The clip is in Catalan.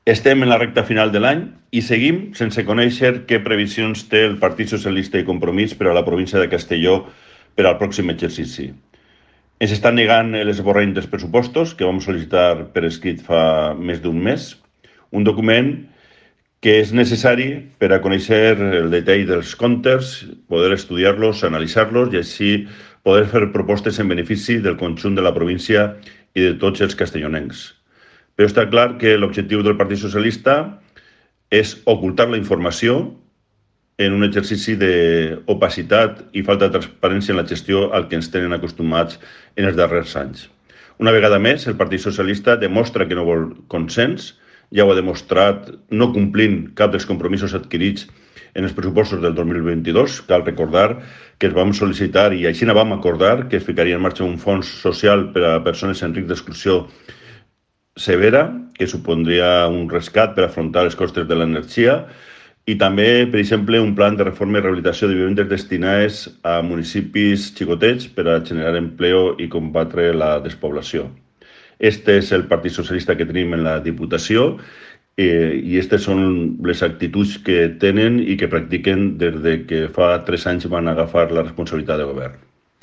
Estem en la recta final de l'any i seguim sense conèixer què previsions té el Partit Socialista i Compromís per a la província de Castelló per al pròxim exercici. Ens estan negant l'esborrany dels pressupostos que vam sol·licitar per escrit fa més d'un mes, un document que és necessari per a conèixer el detall dels comptes, poder estudiar-los, analitzar-los i així poder fer propostes en benefici del conjunt de la província i de tots els castellonencs. Però està clar que l'objectiu del Partit Socialista és ocultar la informació en un exercici d'opacitat i falta de transparència en la gestió al que ens tenen acostumats en els darrers anys. Una vegada més, el Partit Socialista demostra que no vol consens, ja ho ha demostrat no complint cap dels compromisos adquirits en els pressupostos del 2022. Cal recordar que es vam sol·licitar i així vam acordar que es ficaria en marxa un fons social per a persones en risc d'exclusió severa, que supondria un rescat per afrontar els costes de l'energia, i també, per exemple, un plan de reforma i rehabilitació de vivendes destinades a municipis xicotets per a generar empleo i combatre la despoblació. Este és el Partit Socialista que tenim en la Diputació i aquestes són les actituds que tenen i que practiquen des de que fa 3 anys van agafar la responsabilitat de govern.